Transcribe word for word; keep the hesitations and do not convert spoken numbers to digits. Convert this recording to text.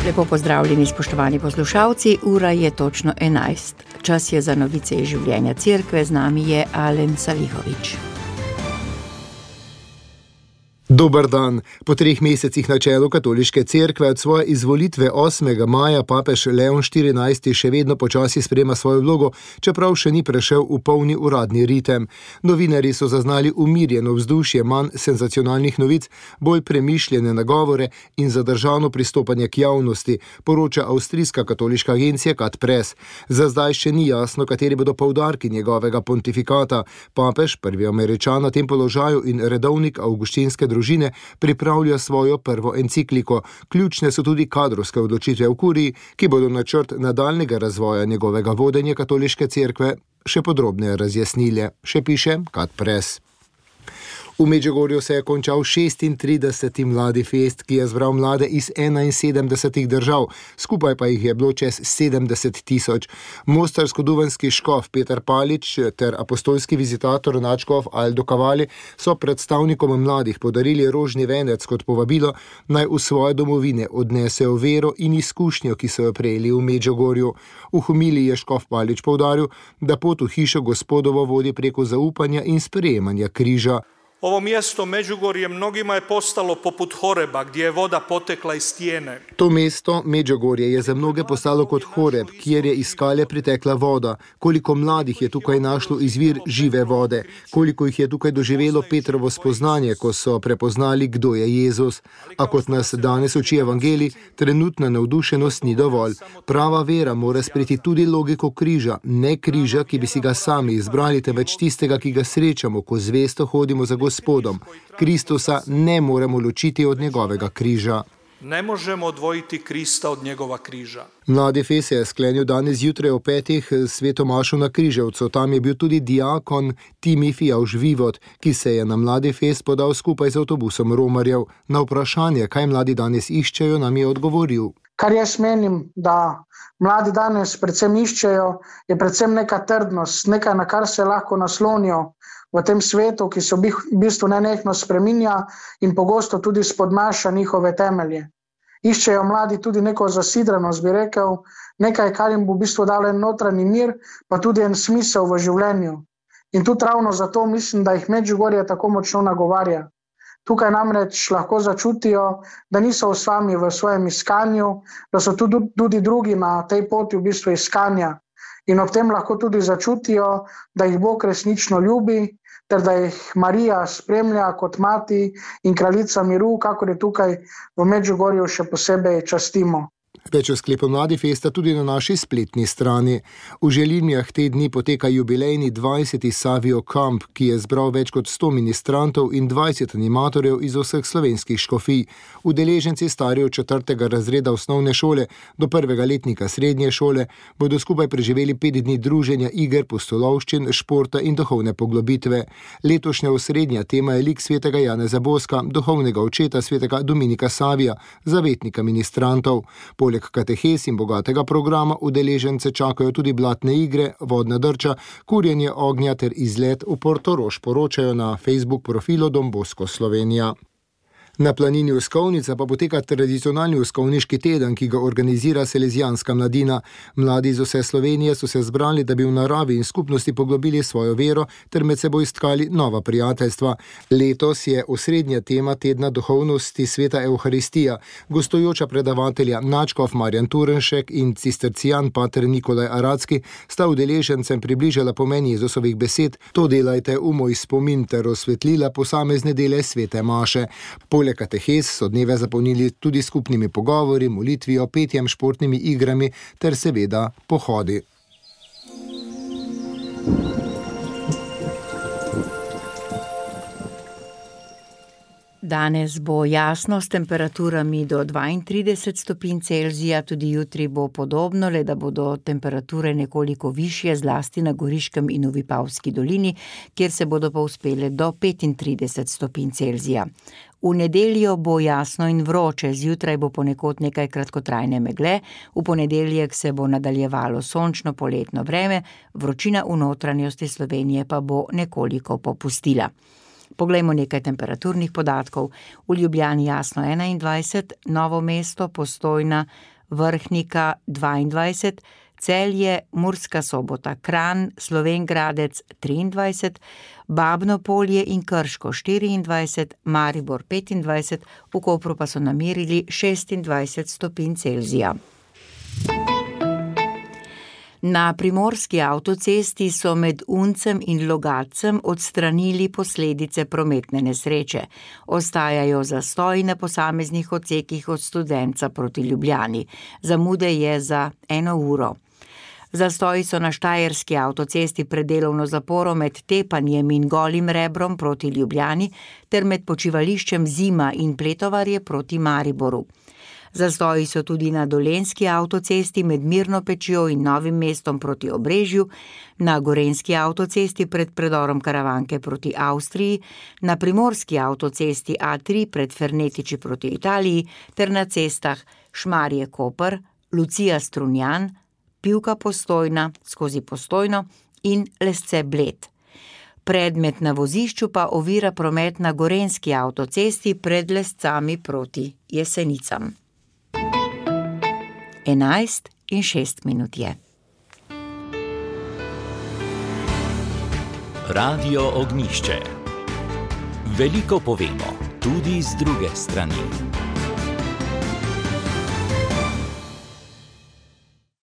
Lepo pozdravljeni, spoštovani poslušalci, ura je točno enajst. Čas je za novice iz življenja cerkve, z nami je Alen Salihovič. Dober dan. Po treh mesecih na čelu katoliške cerkve od svoje izvolitve osmega maja papež Leon štirinajsti še vedno počasi sprejema svojo vlogo, čeprav še ni prešel v polni uradni ritem. Novinarji so zaznali umirjeno vzdušje, manj senzacionalnih novic, bolj premišljene nagovore in zadržano pristopanje k javnosti, poroča avstrijska katoliška agencija Kat Press. Za zdaj še ni jasno, kateri bodo poudarki njegovega pontifikata. Papež, prvi Američan na tem položaju in redovnik avguštinske družine, pripravlja svojo prvo encikliko. Ključne so tudi kadrovske odločitve v kuriji, ki bodo načrt nadaljnjega razvoja njegovega vodenja katoliške cerkve še podrobneje razjasnile, še piše Kat Press. V Medžugorju se je končal šestintrideseti Mladi fest, ki je zbral mlade iz enainsedemdesetih držav, skupaj pa jih je bilo čez sedemdeset tisoč. Mostarsko-duvanski škof Peter Palič ter apostolski vizitator nadškof Aldo Cavalli so predstavnikom mladih podarili rožni venec kot povabilo, naj v svoje domovine odnesejo vero in izkušnjo, ki so jo prejeli v Medžugorju. V homiliji je škof Palič poudaril, da pot v hišo Gospodovo vodi preko zaupanja in sprejemanja križa. Ovo mjesto Međugorje mnogima je postalo poput Horeba, gdje je voda potekla iz stijene. To mesto Medžugorje je za mnoge postalo kot Horeb, kjer je iz skale pritekla voda. Koliko mladih je tukaj našlo izvir žive vode, koliko jih je tukaj doživelo Petrovo spoznanje, ko so prepoznali, kdo je Jezus. A kot nas danes uči evangelij, trenutna navdušenost ni dovolj. Prava vera mora sprejeti tudi logiko križa, ne križa, ki bi si ga sami izbrali, temveč tistega, ki ga srečamo, ko zvesto hodimo za Gospodom. Kristusa ne moremo ločiti od njegovega križa. Ne možemo odvojiti Krista od njegova križa. Mladi fest je sklenil danes zjutraj o petih sveto mašo na Križevcu. Tam je bil tudi diakon Timofij Aužvivod, ki se je na Mladi fest podal skupaj z avtobusom romarjev. Na vprašanje, kaj mladi danes iščejo, nam je odgovoril. Kar jaz menim, da mladi danes predvsem iščejo, je predvsem neka trdnost, nekaj, na kar se lahko naslonijo v tem svetu, ki se v bistvu nenehno spreminja in pogosto tudi spodnaša njihove temelje. Iščejo mladi tudi neko zasidranost, bi rekel, nekaj, kar jim bo v bistvu dalo en notranji mir, pa tudi en smisel v življenju. In tudi ravno zato mislim, da jih Medžugorje tako močno nagovarja. Tukaj namreč lahko začutijo, da niso sami v svojem iskanju, da so tudi, tudi drugi na tej poti v bistvu iskanja. In ob tem lahko tudi začutijo, da jih Bog resnično ljubi, ter da jih Marija spremlja kot mati in kraljica miru, kakor je tukaj v Medžugorju še posebej častimo. Več o sklepu Mladi festa tudi na naši spletni strani. V Želinjah te dni poteka jubilejni dvajseti Savio Camp, ki je zbral več kot sto ministrantov in dvajset animatorjev iz vseh slovenskih škofij. Udeleženci stari od četrtega razreda osnovne šole do prvega letnika srednje šole bodo skupaj preživeli pet dni druženja, iger, pustolovščin, športa in duhovne poglobitve. Letošnja osrednja tema je lik svetega Janeza Boska, duhovnega očeta svetega Dominika Savija, zavetnika ministrantov. Poleg katehes in bogatega programa udeležence čakajo tudi blatne igre, vodna drča, kurjenje ognja ter izlet v Portorož, poročajo na Facebook profilu Don Bosco Slovenija. Na planini Uskovnica pa poteka tradicionalni uskovniški teden, ki ga organizira Salezijanska mladina. Mladi iz vse Slovenije so se zbrali, da bi v naravi in skupnosti poglobili svojo vero ter med seboj istkali nova prijateljstva. Letos je osrednja tema tedna duhovnosti sveta Evharistija. Gostujoča predavatelja nadškof Marjan Turnšek in cistercijan pater Nikolaj Aradski sta udeležencem približala pomen Jezusovih besed: to delajte v moj spomin, ter osvetlila posamezne dele svete maše. Poleg katehes so dneve zapolnili tudi skupnimi pogovori, molitvijo, petjem, športnimi igrami ter seveda pohodi. Danes bo jasno s temperaturami do dvaintrideset stopinj Celzija, tudi jutri bo podobno, le da bodo temperature nekoliko višje, zlasti na Goriškem in v Vipavski dolini, kjer se bodo pa uspele do petintrideset stopinj Celzija. V nedeljo bo jasno in vroče, zjutraj bo ponekod nekaj kratkotrajne megle, v ponedeljek se bo nadaljevalo sončno poletno vreme, vročina v notranjosti Slovenije pa bo nekoliko popustila. Poglejmo nekaj temperaturnih podatkov. V Ljubljani jasno enaindvajset, Novo mesto, Postojna, Vrhnika dvaindvajset, Celje, Murska Sobota, Kranj, Slovenj Gradec triindvajset, Babno Polje in Krško štiriindvajset, Maribor petindvajset, v Kopru pa so namerili šestindvajset stopinj Celzija. Na primorski avtocesti so med Uncem in Logatcem odstranili posledice prometne nesreče. Ostajajo zastoji na posameznih odsekih od Studenca proti Ljubljani. Zamude je za eno uro. Zastoji so na štajerski avtocesti pred delovno zaporo med Tepanjem in Golim Rebrom proti Ljubljani ter med počivališčem Zima in Pletovarje proti Mariboru. Zastoji so tudi na dolenjski avtocesti med Mirno Pečjo in Novim mestom proti Obrežju, na gorenjski avtocesti pred predorom Karavanke proti Avstriji, na primorski avtocesti A tri pred Fernetiči proti Italiji ter na cestah Šmarje Koper, Lucija Strunjan, Pivka Postojna skozi Postojno in Lesce Bled. Predmet na vozišču pa ovira promet na gorenjski avtocesti pred Lescami proti Jesenicam. enajst in šest minut je. Radio Ognjišče. Veliko povemo, tudi z druge strani.